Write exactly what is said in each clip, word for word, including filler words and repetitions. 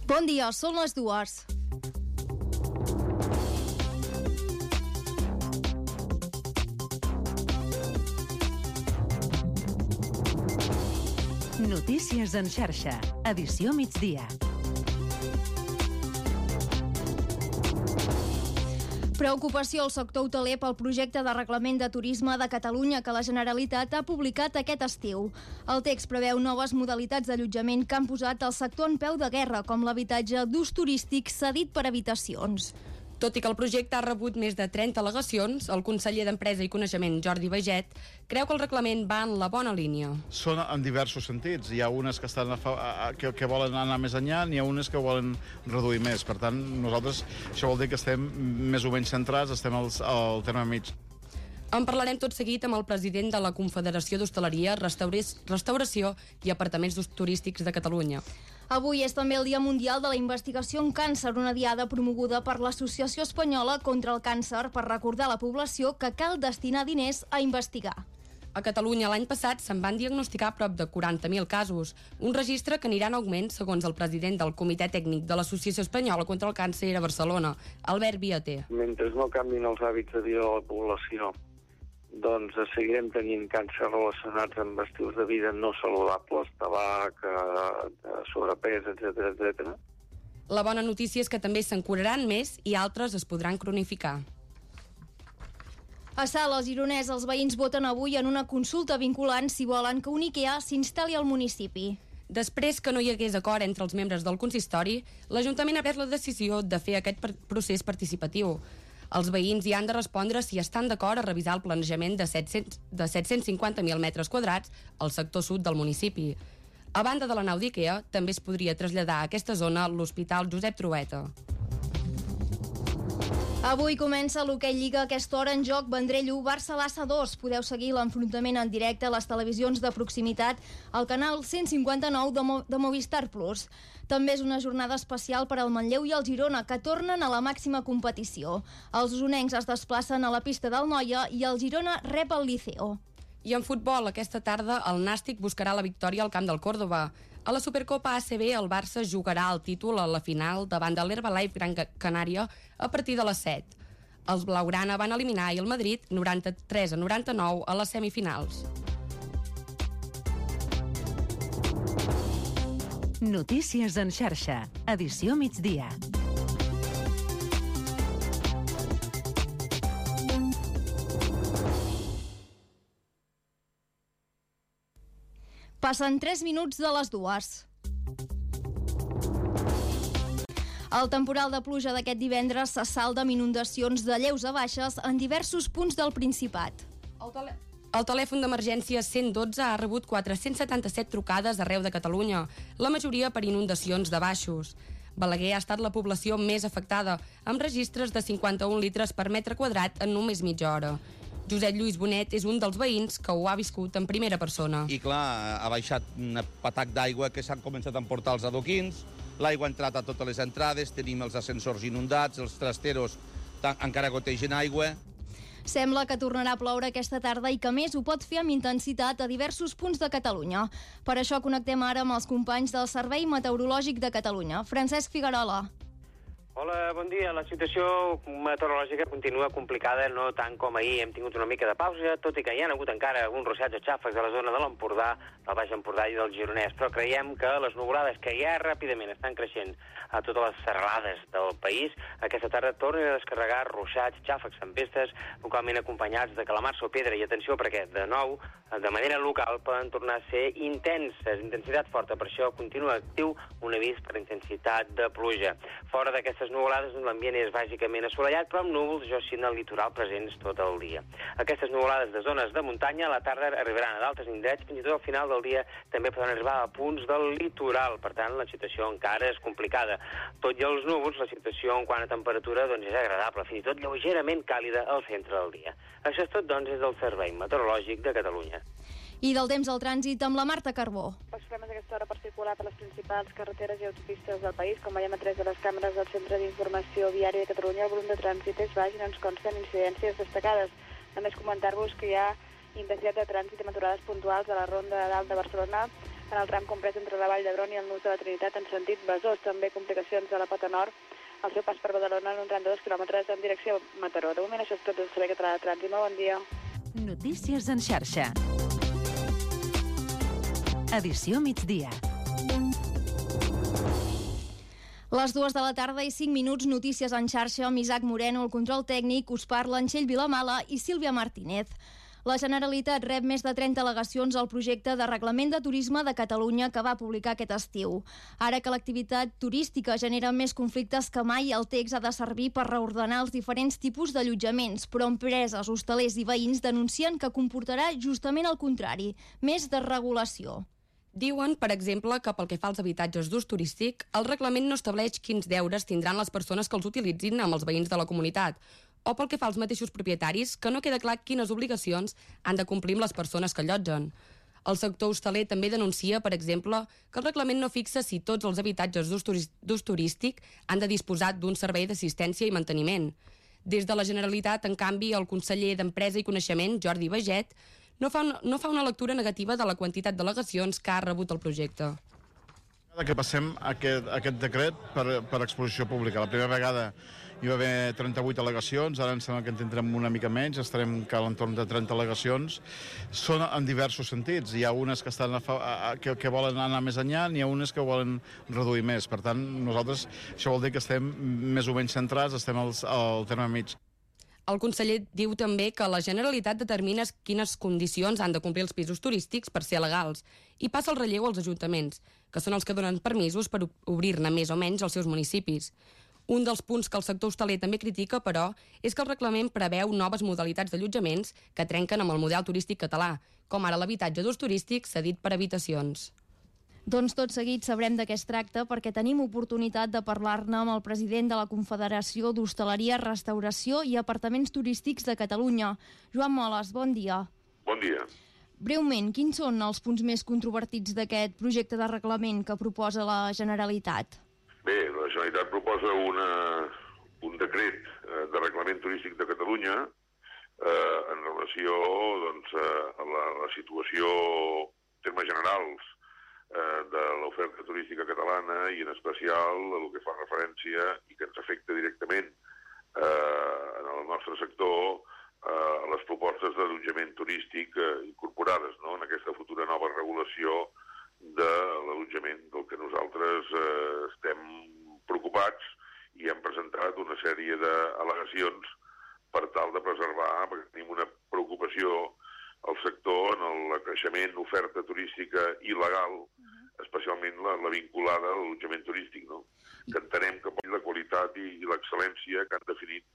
Bon dia, són les dues. Notícies en xarxa, edició migdia. Preocupació al sector hoteler pel projecte de reglament de turisme de Catalunya que la Generalitat ha publicat aquest estiu. El text preveu noves modalitats d'allotjament que han posat el sector en peu de guerra, com l'habitatge d'ús turístic cedit per habitacions. Tot i que el projecte ha rebut més de trenta al·legacions, el conseller d'Empresa i Coneixement, Jordi Baiget, creu que el reglament va en la bona línia. Són en diversos sentits. Hi ha unes que, estan a fa, a, que, que volen anar més enllà, n'hi ha unes que volen reduir més. Per tant, nosaltres, això vol dir que estem més o menys centrats, estem al, al terme mig. En parlarem tot seguit amb el president de la Confederació d'Hostaleria, Restauració i Apartaments Turístics de Catalunya. Avui és també el Dia Mundial de la Investigació en Càncer, una diada promoguda per l'Associació Espanyola contra el Càncer per recordar a la població que cal destinar diners a investigar. A Catalunya l'any passat se'n van diagnosticar prop de quaranta mil casos, un registre que anirà en augment segons el president del Comitè Tècnic de l'Associació Espanyola contra el Càncer a Barcelona, Albert Viater. Mentre no canvin els hàbits de vida de la població, doncs seguirem tenint càncer relacionats amb estils de vida no saludables, tabac, sobrepès, etcètera, etcètera. La bona notícia és que també se'n curaran més i altres es podran cronificar. A Sales, Gironès, els veïns voten avui en una consulta vinculant si volen que un IKEA s'instal·li al municipi. Després que no hi hagués acord entre els membres del consistori, l'Ajuntament ha pres la decisió de fer aquest procés participatiu. Els veïns hi han de respondre si estan d'acord a revisar el planejament de set-cents, de set-cents cinquanta mil metres quadrats al sector sud del municipi. A banda de la nau d'IKEA, també es podria traslladar a aquesta zona l'Hospital Josep Trueta. Avui comença l'Hoquei Lliga, a aquesta hora en joc Vendrell u, Barça Lassa dos. Podeu seguir l'enfrontament en directe a les televisions de proximitat al canal cent cinquanta-nou de, Mo de Movistar Plus. També és una jornada especial per al Manlleu i el Girona, que tornen a la màxima competició. Els usonencs es desplacen a la pista del Noia i el Girona rep el Liceo. I en futbol, aquesta tarda, el Nàstic buscarà la victòria al camp del Córdoba. A la Supercopa A C B, el Barça jugarà el títol a la final davant de l'Herbalife Gran Canària a partir de les set. Els blaugrana van eliminar i el Madrid noranta-tres a noranta-nou a les semifinals. Notícies en xarxa, edició migdia. Passen tres minuts de les dues. El temporal de pluja d'aquest divendres se salda amb inundacions de lleus a baixes en diversos punts del Principat. El, tele... el telèfon d'emergència cent dotze ha rebut quatre-cents setanta-set trucades arreu de Catalunya, la majoria per inundacions de baixos. Balaguer ha estat la població més afectada, amb registres de cinquanta-un litres per metre quadrat en només mitja hora. Josep Lluís Bonet és un dels veïns que ho ha viscut en primera persona. I clar, ha baixat un patac d'aigua que s'han començat a emportar els adoquins, l'aigua ha entrat a totes les entrades, tenim els ascensors inundats, els trasteros encara gotegen aigua. Sembla que tornarà a ploure aquesta tarda i que més ho pot fer amb intensitat a diversos punts de Catalunya. Per això connectem ara amb els companys del Servei Meteorològic de Catalunya. Francesc Figuerola. Hola, bon dia. La situació meteorològica continua complicada, no tant com ahir. Hem tingut una mica de pausa, tot i que hi ha hagut encara alguns ruixats o xàfecs a la zona de l'Empordà, del Baix Empordà i del Gironès, però creiem que les nuvolades que ja ràpidament estan creixent a totes les serralades del país, aquesta tarda tornen a descarregar ruixats, xàfecs, tempestes, localment acompanyats de calamars o pedra. I atenció, perquè de nou, de manera local, poden tornar a ser intenses, intensitat forta. Per això continua actiu un avís per intensitat de pluja. Fora d'aquestes nuvolades, l'ambient és bàsicament assolellat, però amb núvols, jo sí, en el litoral presents tot el dia. Aquestes nuvolades de zones de muntanya a la tarda arribaran a d'altres indrets, fins i tot al final del dia també poden arribar a punts del litoral. Per tant, la situació encara és complicada. Tot i els núvols, la situació en quant a temperatura doncs, és agradable, fins i tot lleugerament càlida al centre del dia. Això és tot, doncs, és del Servei Meteorològic de Catalunya. I del temps al trànsit amb la Marta Carbó. Els problemes d'aquesta hora per circular per les principals carreteres i autopistes del país, com veiem a través de les càmeres del Centre d'Informació Viària de Catalunya, el volum de trànsit és baix i no ens consten incidències destacades. Només comentar-vos que hi ha intensitat de trànsit amb aturades puntuals a la Ronda de Dalt de Barcelona, en el tram comprès entre la Vall d'Hebron i el nus de la Trinitat en sentit Besòs. També complicacions a la pota nord, al seu pas per Badalona en un tram de dos quilòmetres en direcció a Mataró. De moment això és tot del Servei Català de Trànsit. Molt bon dia. Notícies en xarxa. Edició migdia. Les dues de la tarda i cinc minuts, notícies en xarxa amb Isaac Moreno, el control tècnic, us parla Txell Vilamala i Sílvia Martínez. La Generalitat rep més de trenta al·legacions al projecte de Reglament de Turisme de Catalunya que va publicar aquest estiu. Ara que l'activitat turística genera més conflictes que mai, el text ha de servir per reordenar els diferents tipus d'allotjaments, però empreses, hostalers i veïns denuncien que comportarà justament el contrari, més desregulació. Diuen, per exemple, que pel que fa als habitatges d'ús turístic, el reglament no estableix quins deures tindran les persones que els utilitzin amb els veïns de la comunitat, o pel que fa als mateixos propietaris, que no queda clar quines obligacions han de complir amb les persones que allotgen. El sector hostaler també denuncia, per exemple, que el reglament no fixa si tots els habitatges d'ús turístic han de disposar d'un servei d'assistència i manteniment. Des de la Generalitat, en canvi, el conseller d'Empresa i Coneixement, Jordi Baget, no fa, una, no fa una lectura negativa de la quantitat d'al·legacions que ha rebut el projecte. Que passem aquest, aquest decret per, per exposició pública. La primera vegada hi va haver trenta-vuit al·legacions, ara em sembla que en tindrem una mica menys, estarem a l'entorn de trenta al·legacions. Són en diversos sentits. Hi ha unes que, estan a, a, que, que volen anar més enllà, n'hi ha unes que volen reduir més. Per tant, nosaltres, això vol dir que estem més o menys centrats, estem al, al terme mig. El conseller diu també que la Generalitat determina quines condicions han de complir els pisos turístics per ser legals i passa el relleu als ajuntaments, que són els que donen permisos per obrir-ne més o menys als seus municipis. Un dels punts que el sector hostaler també critica, però, és que el reglament preveu noves modalitats d'allotjaments que trenquen amb el model turístic català, com ara l'habitatge d'ús turístic cedit per habitacions. Doncs tot seguit sabrem de què es tracta perquè tenim oportunitat de parlar-ne amb el president de la Confederació d'Hostaleria, Restauració i Apartaments Turístics de Catalunya. Joan Moles, bon dia. Bon dia. Breument, quins són els punts més controvertits d'aquest projecte de reglament que proposa la Generalitat? Bé, la Generalitat proposa una, un decret de reglament turístic de Catalunya eh, en relació doncs, a la, la situació en termes generals de l'oferta turística catalana i en especial el que fa referència i que ens afecta directament eh, en el nostre sector eh, a les propostes d'allotjament turístic eh, incorporades, no?, en aquesta futura nova regulació de l'allotjament del que nosaltres eh, estem preocupats i hem presentat una sèrie d'al·legacions per tal de preservar, perquè tenim una preocupació al sector en el creixement d'oferta turística il·legal, especialment la, la vinculada a l'allotjament turístic, no? Que entenem que la qualitat i, i l'excel·lència que han definit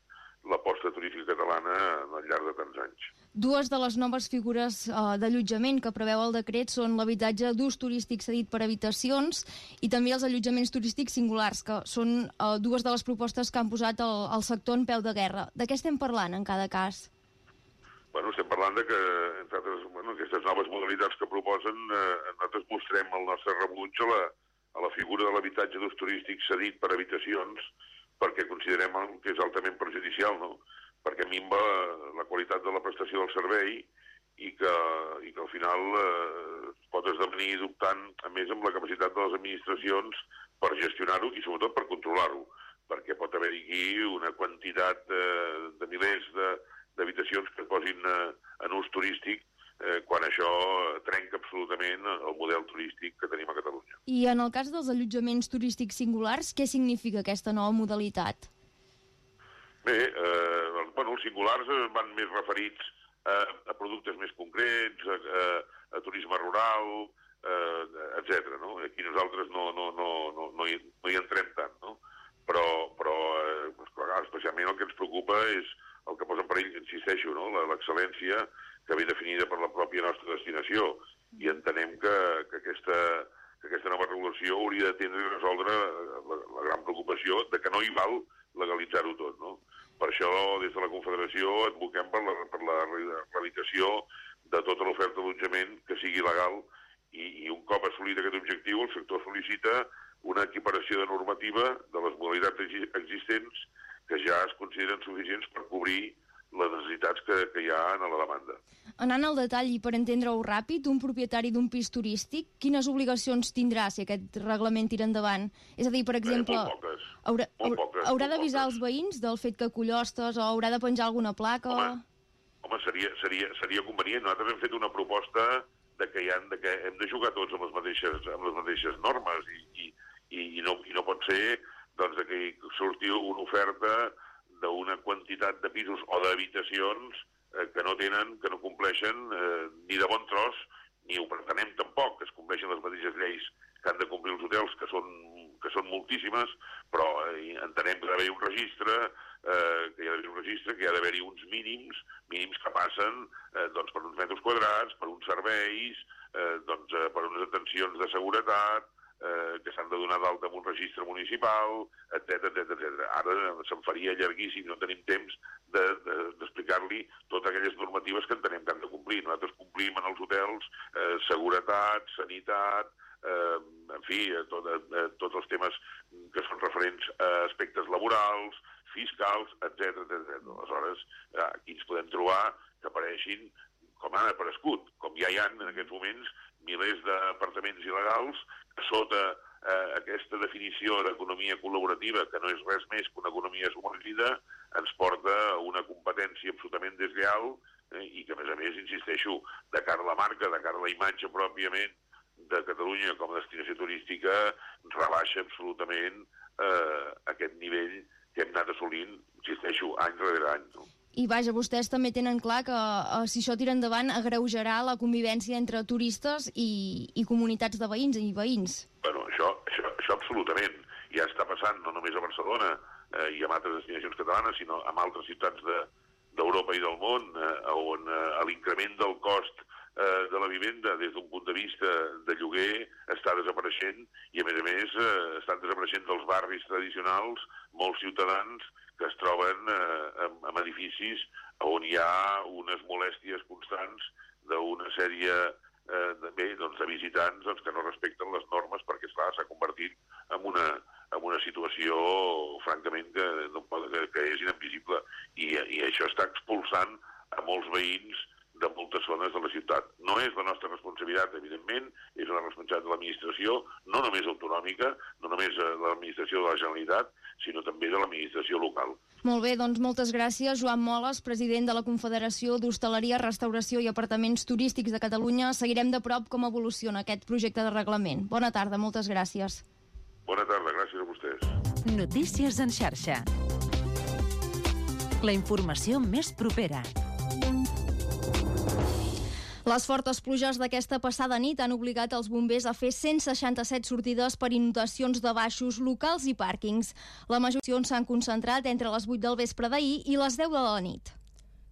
l'aposta turística catalana al llarg de tants anys. Dues de les noves figures uh, d'allotjament que preveu el decret són l'habitatge d'ús turístic cedit per habitacions i també els allotjaments turístics singulars, que són uh, dues de les propostes que han posat el, el sector en peu de guerra. De què estem parlant en cada cas? Bueno, estem parlant de que, entre altres, bueno, aquestes noves modalitats que proposen, eh, nosaltres mostrem el nostre rebuig a la, a la figura de l'habitatge d'ús turístic cedit per habitacions, perquè considerem que és altament perjudicial, no?, perquè minva la qualitat de la prestació del servei i que, i que al final eh, pot esdevenir dubtant, a més, amb la capacitat de les administracions per gestionar-ho i sobretot per controlar-ho, perquè pot haver-hi aquí una quantitat eh, de milers de d'habitacions que es posin eh, en ús turístic eh, quan això trenca absolutament el model turístic que tenim a Catalunya. I en el cas dels allotjaments turístics singulars, què significa aquesta nova modalitat? Bé, eh, bueno, els singulars van més referits a, a productes més concrets, a, a, a turisme rural, eh, etcètera. No? Aquí nosaltres no, no, no, no, no, hi, no hi entrem tant, no? Però, però eh, especialment el que ens preocupa és el que posa en perill, insisteixo, no?, l'excel·lència que ve definida per la pròpia nostra destinació. I entenem que, que, aquesta, que aquesta nova regulació hauria de tindre i resoldre la, la gran preocupació de que no hi val legalitzar-ho tot, no? Per això, des de la Confederació, advoquem per la, per la erradicació de tota l'oferta d'allotjament que sigui legal i, i un cop assolit aquest objectiu, el sector sol·licita una equiparació de normativa de les modalitats existents que ja es consideren suficients per cobrir les necessitats que, que hi ha en la demanda. Anant al detall i per entendre-ho ràpid, un propietari d'un pis turístic, quines obligacions tindrà si aquest reglament tira endavant? És a dir, per exemple, eh, molt poques, haurà, molt poques, haurà molt d'avisar poques. els veïns del fet que acull hostes o haurà de penjar alguna placa? Home, home seria, seria, seria convenient. Nosaltres hem fet una proposta de que, hi han, de que hem de jugar tots amb les mateixes, amb les mateixes normes i, i, i, i, no, i no pot ser doncs, que surti una oferta d'una quantitat de pisos o d'habitacions eh, que no tenen, que no compleixen eh, ni de bon tros, ni ho pretenem tampoc, que es compleixen les mateixes lleis que han de complir els hotels, que són, que són moltíssimes, però eh, entenem que ha d'haver un registre, eh, que hi ha d'haver un registre, que hi ha d'haver-hi uns mínims, mínims que passen eh, doncs, per uns metres quadrats, per uns serveis, eh, doncs, eh, per unes atencions de seguretat, eh, que s'han de donar d'alta en un registre municipal, etcètera, etcètera, etcètera. Ara se'n faria llarguíssim, no tenim temps d'explicar-li de, de, totes aquelles normatives que entenem que han de complir. Nosaltres complim en els hotels eh, seguretat, sanitat, eh, en fi, tot, eh, tots els temes que són referents a aspectes laborals, fiscals, etcètera, etcètera. Aleshores, eh, aquí ens podem trobar que apareixin, com han aparegut, com ja hi ha en aquests moments, milers d'apartaments il·legals que sota eh, aquesta definició d'economia col·laborativa, que no és res més que una economia submergida, ens porta a una competència absolutament deslleial eh, i que, a més a més, insisteixo, de cara a la marca, de cara a la imatge pròpiament de Catalunya com a destinació turística, rebaixa absolutament eh, aquest nivell que hem anat assolint, insisteixo, any rere any. No? I vaja, vostès també tenen clar que eh, si això tira endavant agreujarà la convivència entre turistes i, i comunitats de veïns i veïns. Bueno, això, això, això absolutament. Ja està passant no només a Barcelona eh, i en altres destinacions catalanes, sinó en altres ciutats d'Europa de, i del món, eh, on eh, l'increment del cost eh, de la vivenda des d'un punt de vista de lloguer està desapareixent i, a més a més, eh, estan desapareixent dels barris tradicionals molts ciutadans que es troben eh, en, en edificis on hi ha unes molèsties constants d'una sèrie eh, de, bé, doncs, de visitants doncs, que no respecten les normes perquè, esclar, s'ha convertit en una, en una situació, francament, que, no pot, que, que és inadmissible. I, I això està expulsant a molts veïns de moltes zones de la ciutat. No és la nostra responsabilitat, evidentment, és una responsabilitat de l'administració, no només autonòmica, no només de l'administració de la Generalitat, sinó també de l'administració local. Molt bé, doncs moltes gràcies. Joan Moles, president de la Confederació d'Hostaleria, Restauració i Apartaments Turístics de Catalunya. Seguirem de prop com evoluciona aquest projecte de reglament. Bona tarda, moltes gràcies. Bona tarda, gràcies a vostès. Notícies en xarxa. La informació més propera. Les fortes pluges d'aquesta passada nit han obligat els bombers a fer cent seixanta-set sortides per inundacions de baixos, locals i pàrquings. La majoria s'han concentrat entre les vuit del vespre d'ahir i les deu de la nit.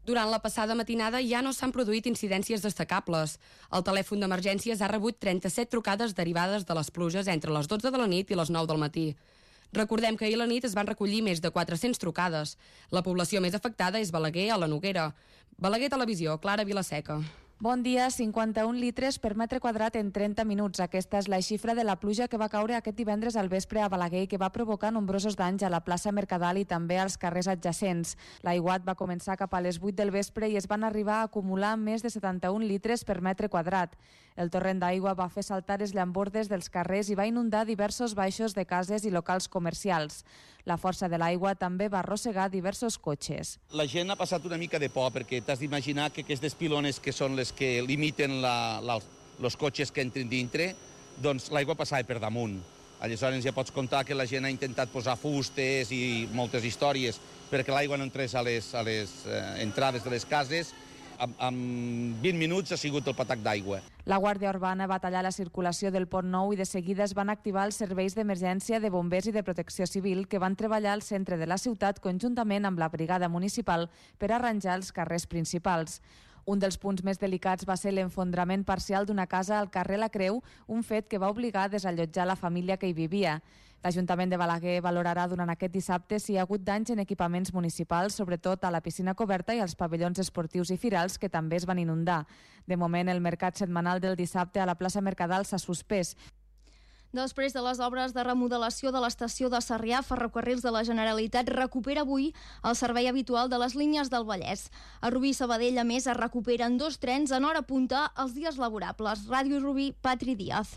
Durant la passada matinada ja no s'han produït incidències destacables. El telèfon d'emergències ha rebut trenta-set trucades derivades de les pluges entre les dotze de la nit i les nou del matí. Recordem que ahir a la nit es van recollir més de quatre-cents trucades. La població més afectada és Balaguer, a la Noguera. Balaguer Televisió, Clara Vilaseca. Bon dia, cinquanta-un litres per metre quadrat en trenta minuts. Aquesta és la xifra de la pluja que va caure aquest divendres al vespre a Balaguer i que va provocar nombrosos danys a la plaça Mercadal i també als carrers adjacents. L'aiguat va començar cap a les vuit del vespre i es van arribar a acumular més de setanta-un litres per metre quadrat. El torrent d'aigua va fer saltar els llambordes dels carrers i va inundar diversos baixos de cases i locals comercials. La força de l'aigua també va arrossegar diversos cotxes. La gent ha passat una mica de por perquè t'has d'imaginar que aquestes pilones que són les que limiten la, la, els cotxes que entrin dintre, doncs l'aigua passava per damunt. Aleshores ja pots comptar que la gent ha intentat posar fustes i moltes històries perquè l'aigua no entrés a les, a les eh, entrades de les cases. En, en vint minuts ha sigut el patac d'aigua. La Guàrdia Urbana va tallar la circulació del Pont Nou i de seguida es van activar els serveis d'emergència de bombers i de protecció civil que van treballar al centre de la ciutat conjuntament amb la brigada municipal per arranjar els carrers principals. Un dels punts més delicats va ser l'enfondrament parcial d'una casa al carrer La Creu, un fet que va obligar a desallotjar la família que hi vivia. L'Ajuntament de Balaguer valorarà durant aquest dissabte si hi ha hagut danys en equipaments municipals, sobretot a la piscina coberta i als pavellons esportius i firals, que també es van inundar. De moment, el mercat setmanal del dissabte a la plaça Mercadal s'ha suspès. Després de les obres de remodelació de l'estació de Sarrià, Ferrocarrils de la Generalitat recupera avui el servei habitual de les línies del Vallès. A Rubí i Sabadell, a més, es recuperen dos trens en hora punta els dies laborables. Ràdio Rubí, Patri Díaz.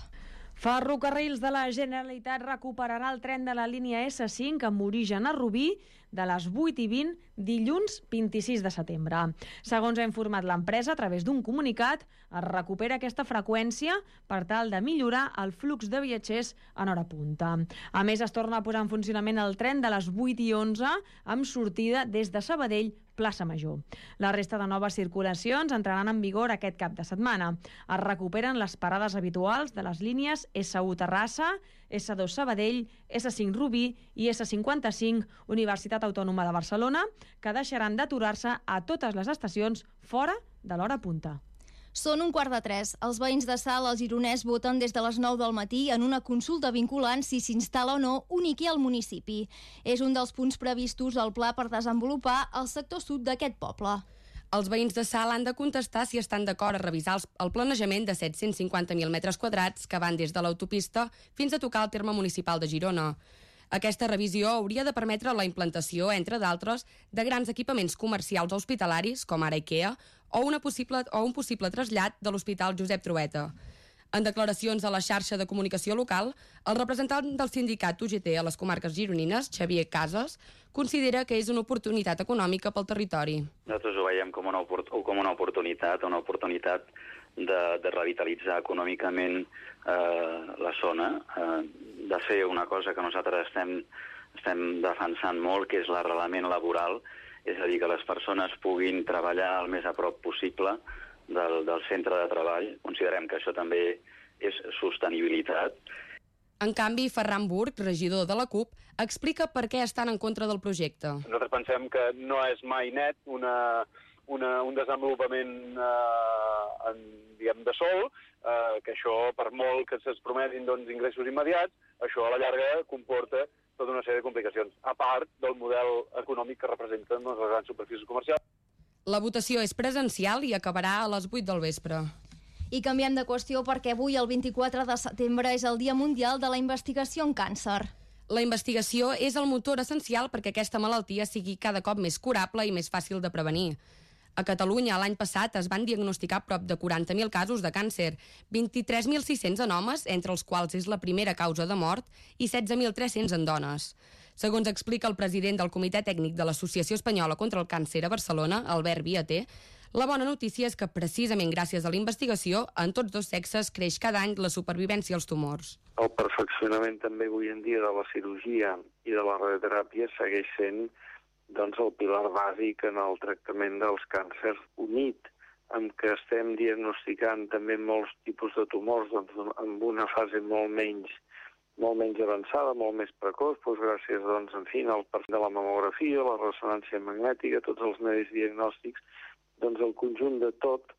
Ferrocarrils de la Generalitat recuperarà el tren de la línia essa cinc amb origen a Rubí de les vuit i vint dilluns vint-i-sis de setembre. Segons ha informat l'empresa a través d'un comunicat, es recupera aquesta freqüència per tal de millorar el flux de viatgers en hora punta. A més, es torna a posar en funcionament el tren de les vuit i onze amb sortida des de Sabadell, Plaça Major. La resta de noves circulacions entraran en vigor aquest cap de setmana. Es recuperen les parades habituals de les línies essa u Terrassa, essa dos Sabadell, essa cinc Rubí i essa cinquanta-cinc Universitat Autònoma de Barcelona, que deixaran d'aturar-se a totes les estacions fora de l'hora punta. Són un quart de tres. Els veïns de Salt, al Gironès, voten des de les nou del matí en una consulta vinculant si s'instal·la o no un I K E A al municipi. És un dels punts previstos al pla per desenvolupar el sector sud d'aquest poble. Els veïns de Salt han de contestar si estan d'acord a revisar el planejament de set-cents cinquanta mil metres quadrats que van des de l'autopista fins a tocar el terme municipal de Girona. Aquesta revisió hauria de permetre la implantació, entre d'altres, de grans equipaments comercials o hospitalaris, com ara IKEA, o, una possible, o un possible trasllat de l'Hospital Josep Trueta. En declaracions a la xarxa de comunicació local, el representant del sindicat U G T a les comarques gironines, Xavier Casas, considera que és una oportunitat econòmica pel territori. Nosaltres ho veiem com una, com una oportunitat, una oportunitat de, de revitalitzar econòmicament eh, la zona, eh, de fer una cosa que nosaltres estem, estem defensant molt, que és l'arrelament laboral, és a dir, que les persones puguin treballar el més a prop possible del, del centre de treball. Considerem que això també és sostenibilitat. En canvi, Ferran Burg, regidor de la CUP, explica per què estan en contra del projecte. Nosaltres pensem que no és mai net una, una, un desenvolupament eh, en, diguem, de sol, eh, que això, per molt que se'ls prometin doncs, ingressos immediats, això a la llarga comporta tota una sèrie de complicacions, a part del model econòmic que representen les grans superfícies comercials. La votació és presencial i acabarà a les vuit del vespre. I canviem de qüestió perquè avui, el vint-i-quatre de setembre, és el Dia Mundial de la Investigació en Càncer. La investigació és el motor essencial perquè aquesta malaltia sigui cada cop més curable i més fàcil de prevenir. A Catalunya, l'any passat, es van diagnosticar prop de quaranta mil casos de càncer, vint-i-tres mil sis-cents en homes, entre els quals és la primera causa de mort, i setze mil tres-cents en dones. Segons explica el president del Comitè Tècnic de l'Associació Espanyola contra el Càncer a Barcelona, Albert Viater, la bona notícia és que, precisament gràcies a la investigació, en tots dos sexes creix cada any la supervivència als tumors. El perfeccionament també avui en dia de la cirurgia i de la radioteràpia segueix sent doncs, el pilar bàsic en el tractament dels càncers, unit amb que estem diagnosticant també molts tipus de tumors doncs, amb una fase molt menys, molt menys avançada, molt més precoç, doncs, gràcies doncs, en fi, al perfil de la mamografia, la ressonància magnètica, tots els medis diagnòstics, doncs el conjunt de tot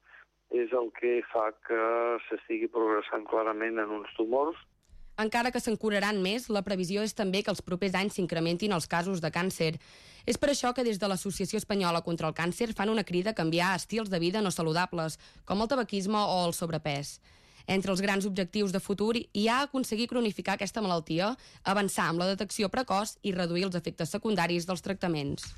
és el que fa que s'estigui progressant clarament en uns tumors. Encara que se'n curaran més, la previsió és també que els propers anys s'incrementin els casos de càncer. És per això que des de l'Associació Espanyola contra el Càncer fan una crida a canviar estils de vida no saludables, com el tabaquisme o el sobrepès. Entre els grans objectius de futur hi ha aconseguir cronificar aquesta malaltia, avançar amb la detecció precoç i reduir els efectes secundaris dels tractaments.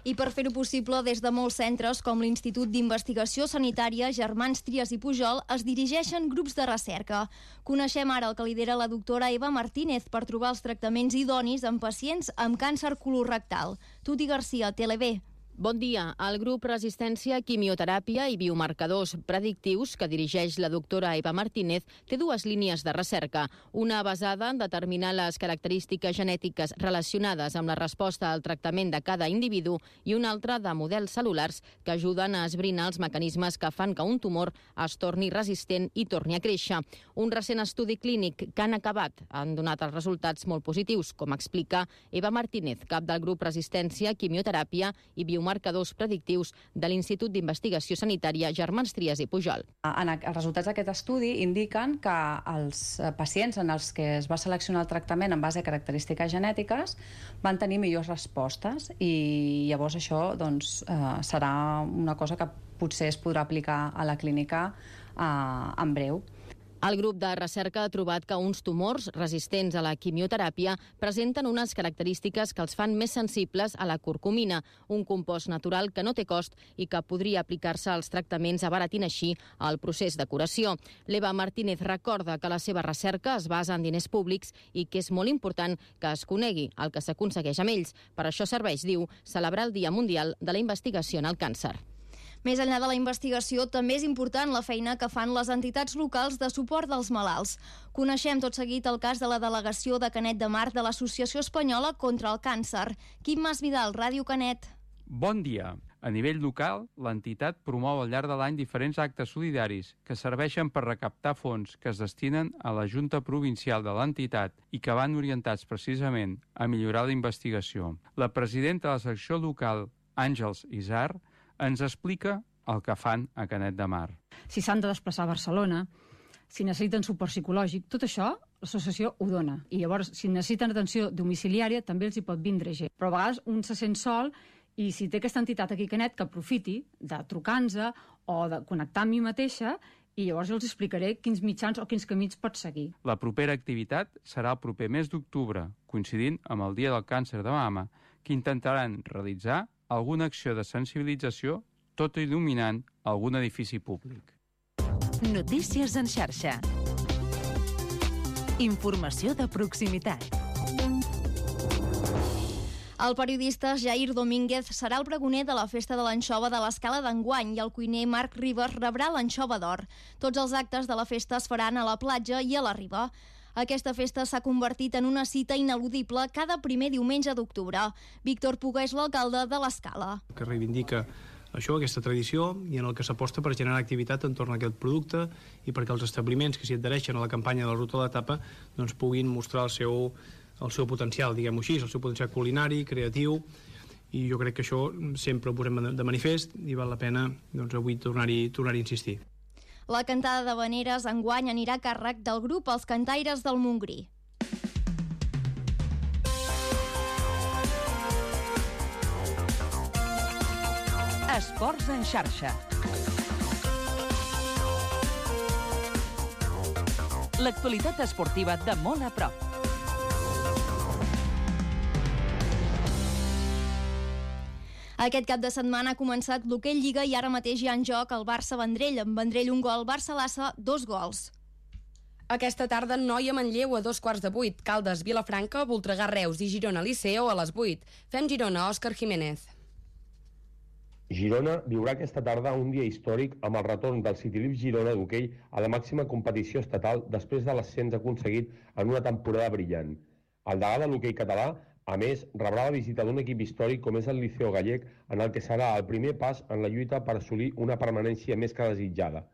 I per fer-ho possible, des de molts centres, com l'Institut d'Investigació Sanitària Germans Trias i Pujol, es dirigeixen grups de recerca. Coneixem ara el que lidera la doctora Eva Martínez per trobar els tractaments idonis en pacients amb càncer colorectal. Tuti Garcia, T L B. Bon dia. El grup Resistència, Quimioteràpia i Biomarcadors Predictius, que dirigeix la doctora Eva Martínez, té dues línies de recerca. Una basada en determinar les característiques genètiques relacionades amb la resposta al tractament de cada individu i una altra de models cel·lulars que ajuden a esbrinar els mecanismes que fan que un tumor es torni resistent i torni a créixer. Un recent estudi clínic que han acabat han donat els resultats molt positius, com explica Eva Martínez, cap del grup Resistència, Quimioteràpia i Biomarcadors marcadors predictius de l'Institut d'Investigació Sanitària Germans Trias i Pujol. En els resultats d'aquest estudi indiquen que els pacients en els que es va seleccionar el tractament en base a característiques genètiques van tenir millors respostes i llavors això doncs, eh, serà una cosa que potser es podrà aplicar a la clínica eh, en breu. El grup de recerca ha trobat que uns tumors resistents a la quimioteràpia presenten unes característiques que els fan més sensibles a la curcumina, un compost natural que no té cost i que podria aplicar-se als tractaments abaratint així el procés de curació. L'Eva Martínez recorda que la seva recerca es basa en diners públics i que és molt important que es conegui el que s'aconsegueix amb ells. Per això serveix, diu, celebrar el Dia Mundial de la Investigació en el Càncer. Més enllà de la investigació, també és important la feina que fan les entitats locals de suport dels malalts. Coneixem tot seguit el cas de la delegació de Canet de Mar de l'Associació Espanyola contra el Càncer. Quim Masvidal, Ràdio Canet. Bon dia. A nivell local, l'entitat promou al llarg de l'any diferents actes solidaris que serveixen per recaptar fons que es destinen a la Junta Provincial de l'entitat i que van orientats precisament a millorar la investigació. La presidenta de la secció local, Àngels Isar, ens explica el que fan a Canet de Mar. Si s'han de desplaçar a Barcelona, si necessiten suport psicològic, tot això l'associació ho dona. I llavors, si necessiten atenció domiciliària, també els hi pot vindre gent. Però a vegades un se sent sol i si té aquesta entitat aquí a Canet, que aprofiti de trucar-nos o de connectar amb mi mateixa i llavors jo els explicaré quins mitjans o quins camins pot seguir. La propera activitat serà el proper mes d'octubre, coincidint amb el Dia del Càncer de Mama, que intentaran realitzar alguna acció de sensibilització, tot il·luminant algun edifici públic. Notícies en xarxa. Informació de proximitat. El periodista Jair Domínguez serà el pregoner de la Festa de l'Anxova de l'Escala d'enguany i el cuiner Marc Ribas rebrà l'anxova d'or. Tots els actes de la festa es faran a la platja i a la riba. Aquesta festa s'ha convertit en una cita ineludible cada primer diumenge d'octubre. Víctor Puga és l'alcalde de l'Escala. Que reivindica això, aquesta tradició, i en el que s'aposta per generar activitat entorn a aquest producte i perquè els establiments que s'hi adhereixen a la campanya de la Ruta de l'Etapa doncs, puguin mostrar el seu, el seu potencial, diguem-ho així, el seu potencial culinari, creatiu, i jo crec que això sempre ho posem de manifest i val la pena doncs, avui tornar-hi tornar a insistir. La cantada d'havaneres enguany anirà a càrrec del grup Els Cantaires del Montgrí. Esports en xarxa. L'actualitat esportiva de molt a prop. Aquest cap de setmana ha començat l'Hoquei Lliga i ara mateix hi ha en joc el Barça-Vendrell. Amb Vendrell un gol, Barça-Lassa dos gols. Aquesta tarda Noia-Manlleu a dos quarts de vuit, Caldes-Vilafranca, Voltregà-Reus i Girona-Liceo a les vuit. Fem Girona, Òscar Jiménez. Girona viurà aquesta tarda un dia històric amb el retorn del Citylip Girona d'hoquei a la màxima competició estatal després de l'ascens aconseguit en una temporada brillant. El degà de l'hoquei català, a més, rebrà la visita d'un equip històric com és el Liceo Gallec, en el que serà el primer pas en la lluita per assolir una permanència més que desitjada.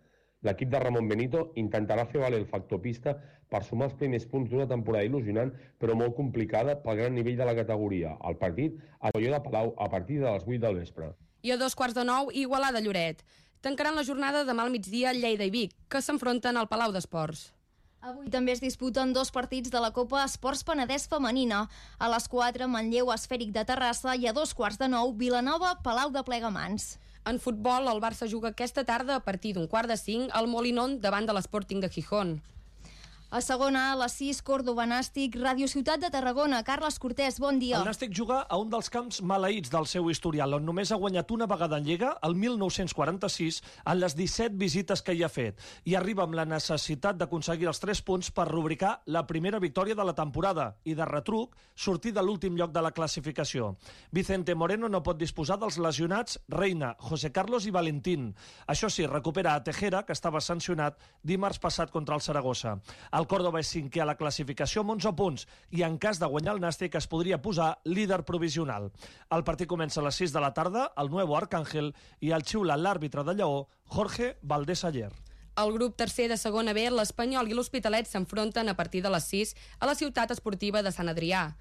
L'equip de Ramon Benito intentarà fer valer el factor pista per sumar els primers punts d'una temporada il·lusionant, però molt complicada pel gran nivell de la categoria. El partit a Molló de Palau a partir de les vuit del vespre. I a dos quarts de nou, Igualada-Lloret. Tancaran la jornada demà al migdia Lleida i Vic, que s'enfronten al Palau d'Esports. Avui també es disputen dos partits de la Copa Esports Penedès Femenina. A les quatre, Manlleu Esfèric de Terrassa i a dos quarts de nou, Vilanova, Palau de Plegamans. En futbol, el Barça juga aquesta tarda a partir d'un quart de cinc al Molinón davant de l'Sporting de Gijón. A segona, a les sis, Córdoba Nàstic, Ràdio Ciutat de Tarragona. Carles Cortés, bon dia. El Nàstic juga a un dels camps maleïts del seu historial, on només ha guanyat una vegada en Lliga, el mil nou-cents quaranta-sis, en les disset visites que hi ha fet. I arriba amb la necessitat d'aconseguir els tres punts per rubricar la primera victòria de la temporada i, de retruc, sortir de l'últim lloc de la classificació. Vicente Moreno no pot disposar dels lesionats Reina, José Carlos i Valentín. Això sí, recupera a Tejera, que estava sancionat dimarts passat contra el Saragossa. El Córdoba és cinquè a la classificació amb onze punts i en cas de guanyar el Nàstic es podria posar líder provisional. El partit comença a les sis de la tarda, el Nuevo Arcángel, i el xiula l'àrbitre de Lleó, Jorge Valdés Ayer. El grup tercer de segona B, l'Espanyol i l'Hospitalet s'enfronten a partir de les sis a la ciutat esportiva de Sant Adrià.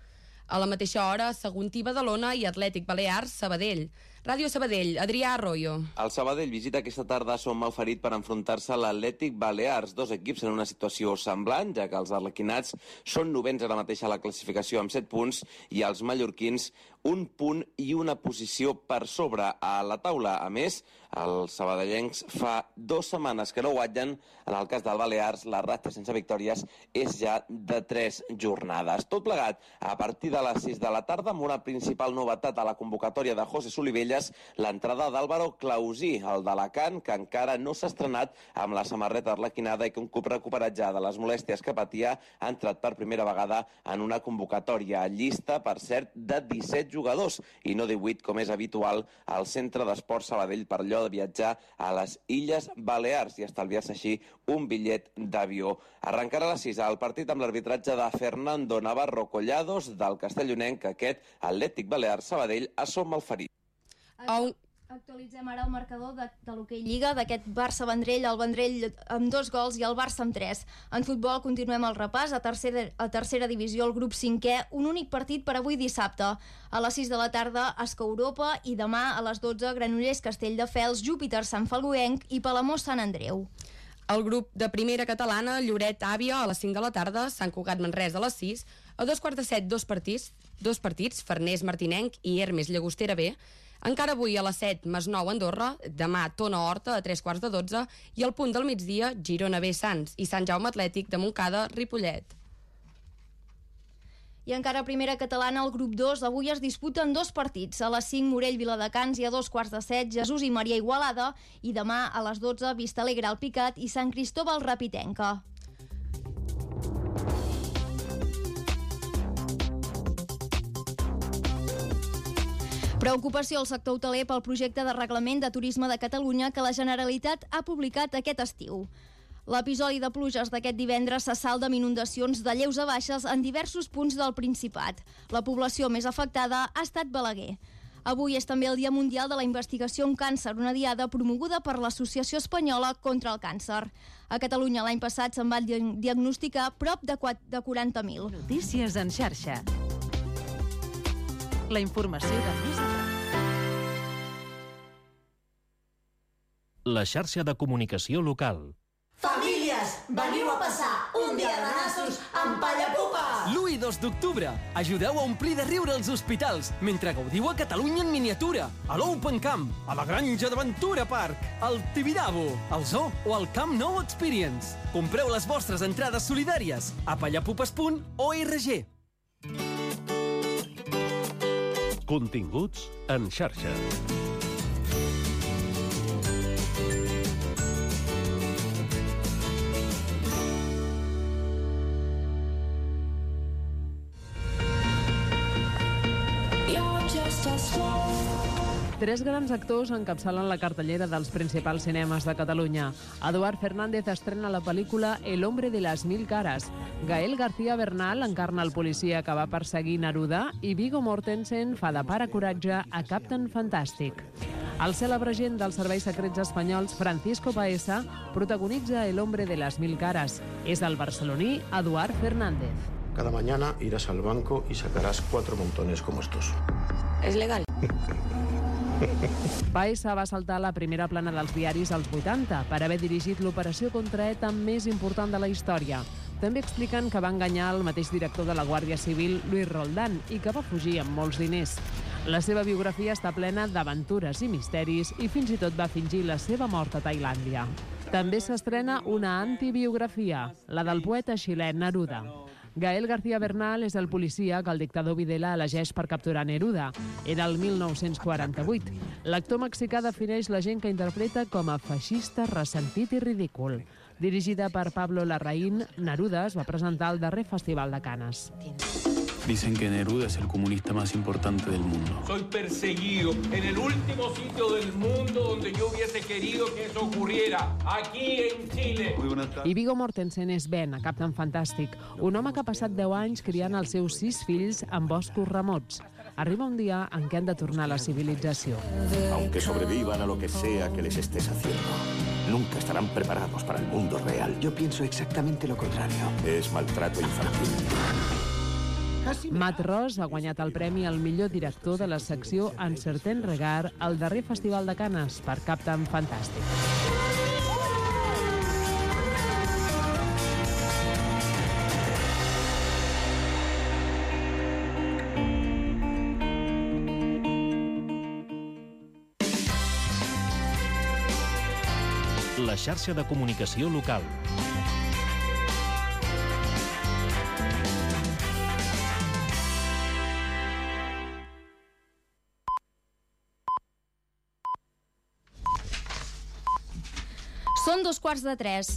A la mateixa hora, Saguntí Badalona i Atlètic Balears Sabadell. Ràdio Sabadell, Adrià Arroyo. El Sabadell visita aquesta tarda a Som Malferit per enfrontar-se a l'Atlètic Balears, dos equips en una situació semblant, ja que els arlequinats són novens ara mateix a la classificació amb set punts i els mallorquins un punt i una posició per sobre a la taula. A més, els sabadellencs fa dues setmanes que no guanyen. En el cas del Balears, la ratxa sense victòries és ja de tres jornades. Tot plegat, a partir de les sis de la tarda, amb una principal novetat a la convocatòria de José Solivelles, l'entrada d'Álvaro Clausí, el d'Alacant, que encara no s'ha estrenat amb la samarreta arlequinada i que un cop recuperat ja de les molèsties que patia ha entrat per primera vegada en una convocatòria llista, per cert, de disset jugadors i no divuit, com és habitual al Centre d'Esports Sabadell, per allò de viatjar a les Illes Balears i estalviar-se així un bitllet d'avió. Arrencarà a les sis el partit amb l'arbitratge de Fernando Navarro Collados del castellonenc, aquest Atlètic Balears Sabadell a Som Malferit. Actualitzem ara el marcador de, de l'Hockey Lliga, d'aquest Barça-Vendrell, el Vendrell amb dos gols i el Barça amb tres. En futbol continuem el repàs. A tercera, a tercera divisió, el grup cinquè, un únic partit per avui dissabte. A les sis de la tarda, Esca Europa, i demà a les dotze, Granollers Castelldefels, Júpiter Sant Falgoenc i Palamós Sant Andreu. El grup de primera catalana, Lloret Àvia, a les cinc de la tarda, Sant Cugat Manresa a les sis, a dos quarts de set, dos partits, dos partits, Farners Martinenc i Hermes Llagostera B. Encara avui a les set, Masnou Andorra, demà Tona Horta a tres quarts de dotze i al punt del migdia, Girona B Sants i Sant Jaume Atlètic de Montcada Ripollet. I encara a primera catalana, el grup dos, avui es disputen dos partits. A les cinc, Morell Viladecans, i a dos quarts de set, Jesús i Maria Igualada, i demà a les dotze, Vistalegre Alpicat i Sant Cristóbal Rapitenca. Preocupació al sector hoteler pel projecte de reglament de turisme de Catalunya que la Generalitat ha publicat aquest estiu. L'episodi de pluges d'aquest divendres se salda amb inundacions de lleus a baixes en diversos punts del Principat. La població més afectada ha estat Balaguer. Avui és també el Dia Mundial de la Investigació en Càncer, una diada promoguda per l'Associació Espanyola contra el Càncer. A Catalunya l'any passat se'n van diagnosticar prop de quaranta mil. Notícies en xarxa. La informació de més a La xarxa de comunicació local. Famílies, veniu a passar un dia de nassos amb Pallapupes! L'u i dos d'octubre, ajudeu a omplir de riure els hospitals mentre gaudiu a Catalunya en miniatura, a l'Open Camp, a la Granja d'Aventura Park, al Tibidabo, al Zoo o al Camp Nou Experience. Compreu les vostres entrades solidàries a pallapupes punt org. Continguts en xarxa. Tres grans actors encapçalen la cartellera dels principals cinemes de Catalunya. Eduard Fernández estrena la pel·lícula El hombre de las mil caras. Gael García Bernal encarna el policia que va perseguir Neruda i Viggo Mortensen fa de pare coratge a Captain Fantastic. El cèlebre agent dels serveis secrets espanyols Francisco Paesa protagonitza El hombre de las mil caras. És el barceloní Eduard Fernández. Cada mañana irás al banco y sacarás cuatro montones como estos. És legal? Paesa va saltar a la primera plana dels diaris als vuitanta per haver dirigit l'operació contra ETA més important de la història. També expliquen que va enganyar el mateix director de la Guàrdia Civil, Luis Roldán, i que va fugir amb molts diners. La seva biografia està plena d'aventures i misteris i fins i tot va fingir la seva mort a Tailàndia. També s'estrena una antibiografia, la del poeta xilè Neruda. Gael García Bernal és el policia que el dictador Videla elegeix per capturar Neruda. Era el mil nou-cents quaranta-vuit. L'actor mexicà defineix la gent que interpreta com a feixista, ressentit i ridícul. Dirigida per Pablo Larraín, Neruda es va presentar al darrer Festival de Canes. Dicen que Neruda es el comunista más importante del mundo. Soy perseguido en el último sitio del mundo donde yo hubiese querido que eso ocurriera, aquí en Chile. I Viggo Mortensen és Ben, a Captain Fantastic, un home que ha passat deu anys criant els seus sis fills en boscos remots. Arriba un dia en què han de tornar a la civilització. Aunque sobrevivan a lo que sea que les estés haciendo, nunca estarán preparados para el mundo real. Yo pienso exactamente lo contrario. Es maltrato infantil. Matt Ross ha guanyat el premi al millor director de la secció Un certain regard al darrer Festival de Canes per Captain Fantastic. La xarxa de comunicació local. Són dos quarts de tres.